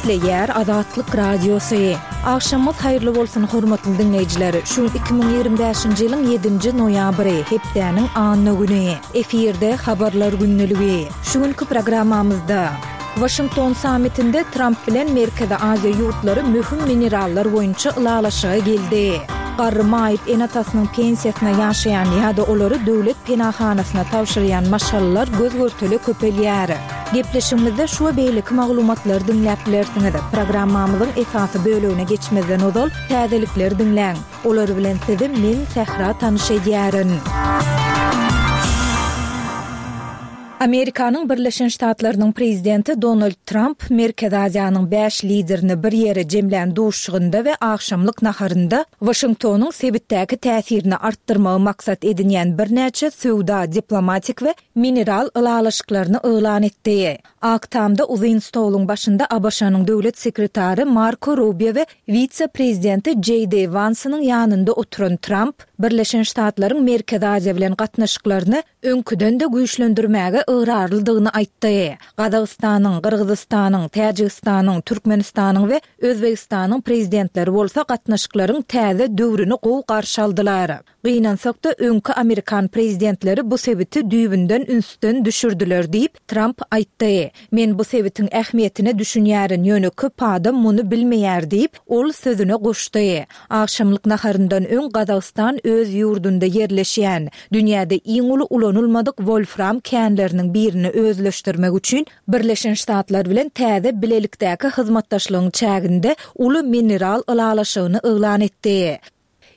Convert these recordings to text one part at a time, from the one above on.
Gepleýär Azatlyk Radiosy. Agşamyňyz haýyrly bolsun, hormatly diňleýjiler! Şu gün 2025-nji ýylyň ýedinji noýabry, hepdäniň anna güni. Efirde Habarlar gündeligi. Şu günki programmamyzda. Waşington sammitinde Tramp bilen Merkezi Aziýa ýurtlary möhüm minerallar boýunça ylalaşyga geldi. Garry maýyp ene-atasynyň pensiýasyna ýaşaýan ýa-da olary döwlet penahanasyna tabşyrýan maşgalalar göz-görtele köpelýär. Gepleşigimizde şu we beýleki maglumatlary diňläp bilersiňiz. Programmamyzyň esasy bölegine geçmezden ozal, täzelikleri diňläň. Olar bilen sizi men, Sähra tanyş edýärin. Amerikanyň Birleşen Ştatlarynyň Prezidenti Donald Tramp Merkezi Aziýanyň bäş liderini bir ýere jemlän duşuşygynda we agşamlyk naharynda Waşingtonyň sebitdäki täsirini artdyrmagy maksat edinýän birnäçe söwda, diplomatik we mineral ylalaşyklaryny yglan etdi. Ak Tamda uzyn stoluň başynda ABŞ-nyň döwlet sekretary Marko Rubio we wise-prezidenti Jeý Di Wansynyň ýanynda oturan Tramp Birleşen Ştatlaryň Merkezi Aziýa bilen gatnaşyklaryny öňküden-de güýçlendirmäge ygrarlydygyny aýtdy. Gazagystanyň, Gyrgyzystanyň, Täjigistanyň, Türkmenistanyň we Özbegistanyň prezidentleri bolsa gatnaşyklaryň täze döwrüni gowy garşy aldylar. Gynansak-da, öňki amerikan prezidentleri bu sebiti düýbünden ünsden düşürdiler diýip, Tramp aýtdy. Men bu sebitiň ähmiýetine düşünýärin, ýöne köp adam muny bilmeýär diýip, ol sözüne goşdy. Agşamlyk naharyndan öň Gazagystan öz ýurdunda ýerleşýän, dünýäde iň uly ulanylmadyk wolfram känleriniň birini özleşdirmek üçin Birleşen Ştatlar bilen täze bilelikdäki hyzmatdaşlygyň çäginde uly mineral ylalaşygyny yglan etdi.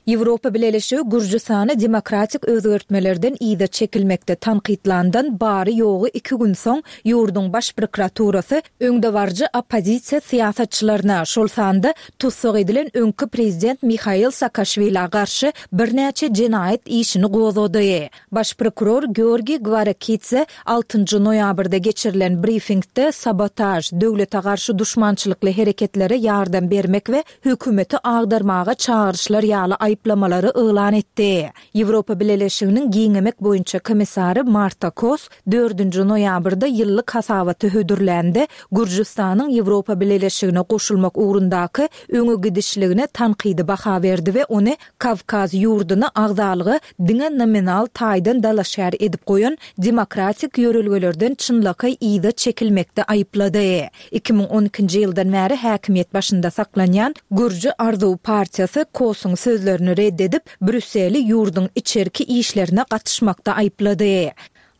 Ýewropa Bileleşigi Gürjüstany demokratik özgertmelerden yza çekilmekde tankytlandan bary-ýogy iki gün soň ýurduň Baş prokuraturasy öňdebaryjy oppozisiýa syýasatçylaryna, şol sanda tussag edilen öňki prezident Mihail Saakaşwilä garşy birnäçe jenaýat işini gozgady. Baş prokuror Georgiý Gwarakidze altynjy noýabrda geçirilen brifingde sabotaž, döwlete garşy duşmançylykly hereketlere ýardam bermek we hökümeti agdarmaga çagyryşlar ýaly aýyplamalary yglan etdi. Ýewropa Bileleşiginiň giňemek boýunça komissary Marta Kos dördünji noýabrda ýyllyk hasabaty hödürlände, Gürjüstanyň Ýewropa Bileleşigine goşulmak ugrundaky öňe gidişligine tankydy baha berdi we ony Kawkaz ýurduny agzalyga diňe nominal taýdan dalaşgär edip goýan demokratik ýörelgelerden çynlakaý yza çekilmekde aýyplady. 2012-nji ýyldan bäri häkimiýet başynda saklanýan Gürji arzuwy partiýasy Kosyň sözlerini red edip, Brýusseli ýurduň içerki işlerine gatyşmakda aýyplady.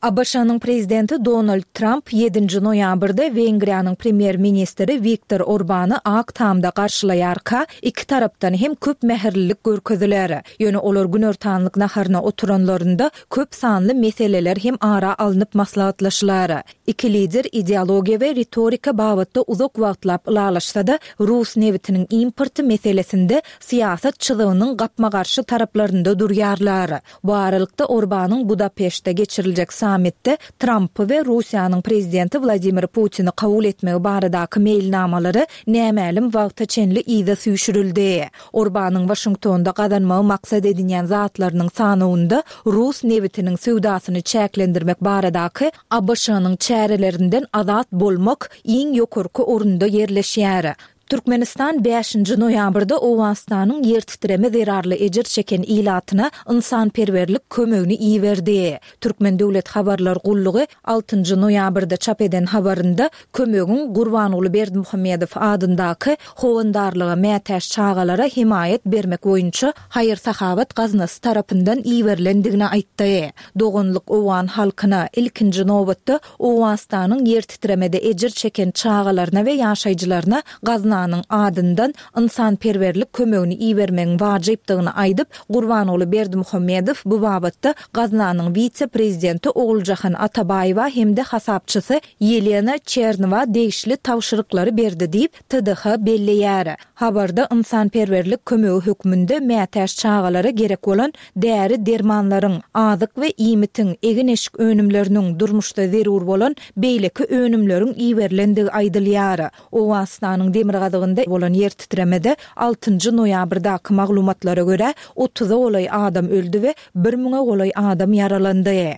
ABŞ-nyň Prezidenti Donald Tramp ýedinji noýabrda Wengriýanyň Premýer-ministri Wiktor Orbany Ak Tamda garşylaýarka, iki tarapdan hem köp mähirlilik görkeziler. Ýöne olar günortanlyk naharyna oturanlarynda köp sanly meseleler hem ara alnyp maslahatlaşylar. Iki lider ideologiýa we ritorika babatda uzak wagtlap ylalaşsa-da, rus nebitiniň importy meselesinde syýasat çyzygynyň gapma-garşy taraplarynda durýarlar. Bu aralykda, Orbanyň Budapeştde geçiriljek sammitde Trampy we Russiýanyň prezidenti Wladimir Putini kabul etmegi baradaky meýilnamalary nämälim wagta çenli yza süýşürildi. Orbanyň Waşingtonda gazanmagy maksat edinýän zatlarynyň sanawynda rus nebitiniň söwdasyny çäklendirmek baradaky ABŞ-nyň çärelerinden azat bolmak iň ýokarky orunda ýerleşýär. Türkmenistan bäşinji noýabrda Owganystanyň ýertitreme zerarly ejir çeken ilatyna ynsanperwerlik kömegini iberdi. Türkmen döwlet habarlar gullugy altynjy noýabrda çap eden habarynda kömegiň Gurbanguly Berdimuhamedow adyndaky Howandarlyga mätäç çagalara hemaýat bermek boýunça haýyr-sahawat gaznasy tarapyndan iberilendigini aýtdy. Doganlyk owgan halkyna, ilkinji nobatda, Owganystanyň ýertitremede ejir çeken çagalaryna we ýaşaýjylaryna gaznanyň adyndan ynsanperwerlik kömegini ibermegiň wajypdygyny aýdyp, Gurbanguly Berdimuhamedow bu babatda gaznanyň wise-prezidenti Oguljahan Atabaýewa hem-de hasapçysy Ýelena Çernowa degişli tabşyryklary berdi diýip, TDH belleýär. Habarda ynsanperwerlik kömegi hökmünde mätäç çagalara gerek bolan däri-dermanlaryň, azyk we iýmitiň, egin-eşik önümleriniň, durmuşda zerur bolan beýleki önümleriň iberilendigi aýdylýar. Owganystanyň demirgazygynda bolan ýertitremede altynjy noýabrdaky maglumatlara görä, otuza golaý adam öldi we bir müňe golaý adam ýaralandy.